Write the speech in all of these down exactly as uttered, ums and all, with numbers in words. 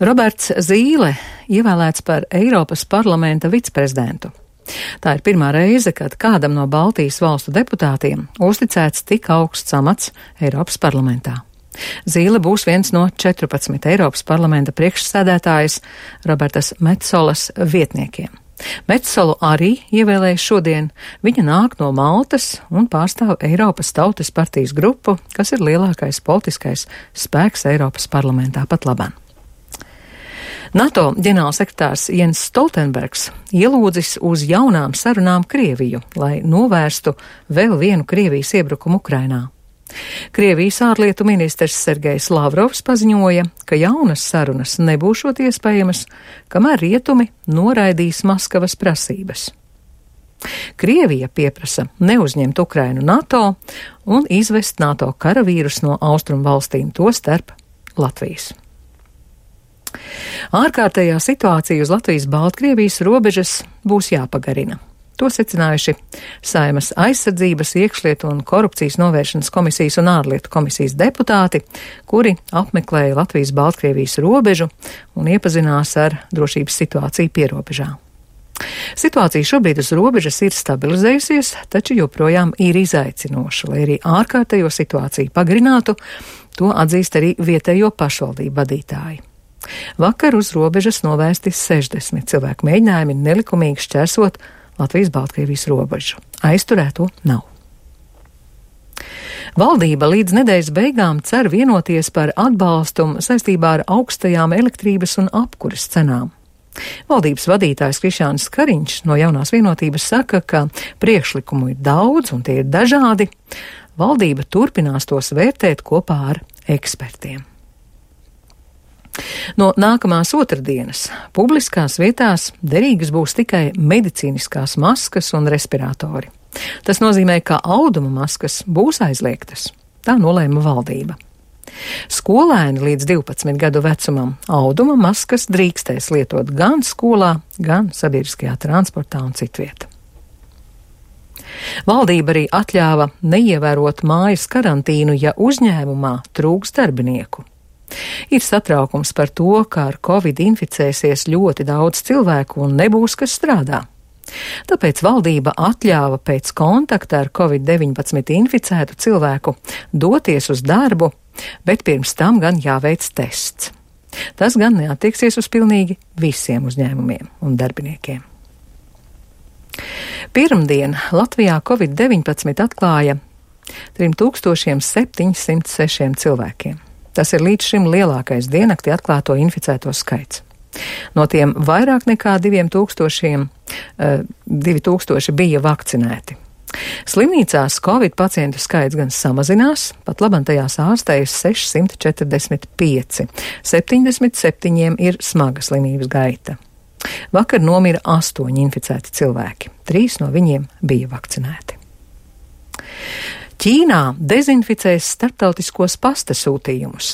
Roberts Zīle ievēlēts par Eiropas parlamenta viceprezidentu. Tā ir pirmā reize, kad kādam no Baltijas valstu deputātiem uzticēts tik augsts amats Eiropas parlamentā. Zīle būs viens no četrpadsmit Eiropas parlamenta priekšsēdētājas Robertas Metsolas vietniekiem. Metsolu arī ievēlēja šodien. Viņa nāk no Maltas un pārstāv Eiropas Tautas partijas grupu, kas ir lielākais politiskais spēks Eiropas parlamentā pat labāk. NATO ģenerālsekretārs Jens Stoltenbergs ielūdzis uz jaunām sarunām Krieviju, lai novērstu vēl vienu Krievijas iebrukumu Ukrainā. Krievijas ārlietu ministrs Sergejs Lavrovs paziņoja, ka jaunas sarunas nebūšot iespējamas, kamēr rietumi noraidīs Maskavas prasības. Krievija pieprasa neuzņemt Ukrainu NATO un izvest NATO karavīrus no austrumu valstīm, tostarp Latvijas. Ārkārtējā situācija uz Latvijas-Baltkrievijas robežas būs jāpagarina. To secinājuši Saeimas aizsardzības, iekšlietu un korupcijas novēršanas komisijas un ārlietu komisijas deputāti, kuri apmeklēja Latvijas-Baltkrievijas robežu un iepazinās ar drošības situāciju pierobežā. Situācija šobrīd uz robežas ir stabilizējusies, taču joprojām ir izaicinoša, lai arī ārkārtējo situāciju pagarinātu, to atzīst arī vietējo pašvaldību vadītāji. Vakar uz robežas novērsti sešdesmit cilvēku mēģinājumi nelikumīgi šķērsot Latvijas-Baltkrievijas robežu. Aizturēto nav. Valdība līdz nedēļas beigām cer vienoties par atbalstu saistībā ar augstajām elektrības un apkuras cenām. Valdības vadītājs Krišjānis Kariņš no Jaunās vienotības saka, ka priekšlikumu ir daudz un tie ir dažādi. Valdība turpinās tos vērtēt kopā ar ekspertiem. No nākamās otrdienas publiskās vietās derīgas būs tikai medicīniskās maskas un respiratori. Tas nozīmē, ka auduma maskas būs aizliegtas. Tā nolēma valdība. Skolēni līdz divpadsmit gadu vecumam auduma maskas drīkstēs lietot gan skolā, gan sabiedriskajā transportā un citviet. Valdība arī atļāva neievērot mājas karantīnu, ja uzņēmumā trūks darbinieku. Ir satraukums par to, ka ar covid inficēsies ļoti daudz cilvēku un nebūs, kas strādā. Tāpēc valdība atļāva pēc kontakta ar covid deviņpadsmit inficētu cilvēku doties uz darbu, bet pirms tam gan jāveic tests. Tas gan neattieksies uz pilnīgi visiem uzņēmumiem un darbiniekiem. Pirmdien Latvijā covid deviņpadsmit atklāja trim tūkstošiem septiņsimt sešiem cilvēkiem. Tas ir līdz šim lielākais diennaktī atklāto inficēto skaits. No tiem vairāk nekā diviem tūkstošiem, uh, divi tūkstoši bija vakcinēti. Slimnīcās covid pacientu skaits gan samazinās, pat labam tajās ārstējas sešsimt četrdesmit pieci, septiņdesmit septiņiem ir smaga slimības gaita. Vakar nomira astoņi inficēti cilvēki, trīs no viņiem bija vakcinēti. Ķīnā dezinficēs starptautiskos pasta sūtījumus.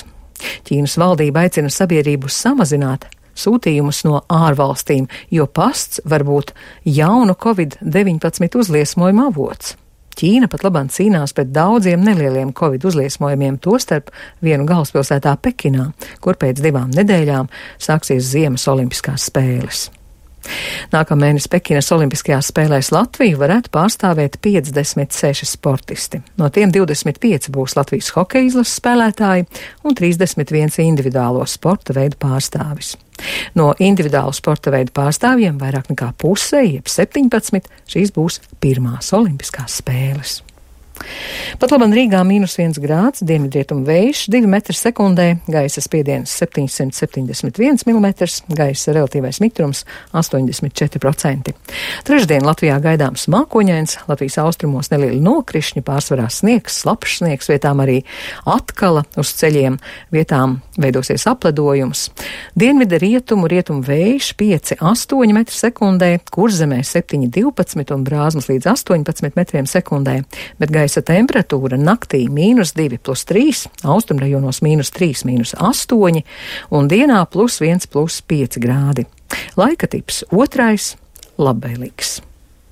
Ķīnas valdība aicina sabiedrību samazināt sūtījumus no ārvalstīm, jo pasts var būt jaunu covid deviņpadsmit uzliesmojumu avots. Ķīna pat labāk cīnās pret daudziem nelieliem covid uzliesmojumiem, tostarp vienu galvaspilsētā Pekinā, kur pēc divām nedēļām sāksies ziemas olimpiskās spēles. Nākamēnes Pekinas olimpiskajās spēlēs Latviju varētu pārstāvēt piecdesmit seši sportisti. No tiem divdesmit pieci būs Latvijas hokeja izlases spēlētāji un trīsdesmit viens individuālo sporta veidu pārstāvis. No individuālu sporta veidu pārstāvjiem vairāk nekā puse, jeb septiņpadsmit, šīs būs pirmās olimpiskās spēles. Pat labam Rīgā mīnus viens grāds, dienvidrietumu vējš divi metri sekundē, gaisa spiediens septiņsimt septiņdesmit viens milimetrs, gaisa relatīvais mitrums astoņdesmit četri procenti. Trešdien Latvijā gaidāms mākoņains, Latvijas austrumos nelieli nokrišņi, pārsvarā sniegs, slapjš sniegs, vietām arī atkala uz ceļiem, vietām veidosies apledojums. Dienvida rietumu, rietumu vējš pieci astoņi metri sekundē, Kurzemē septiņi divpadsmit un Brāzmas līdz astoņpadsmit metriem sekundē, bet gaisa Gaisa temperatūra naktī mīnus divi plus trīs, austrumrajonos mīnus trīs, mīnus astoņi un dienā plus viens, plus pieci grādi. Laika tips otrais - labvēlīgs.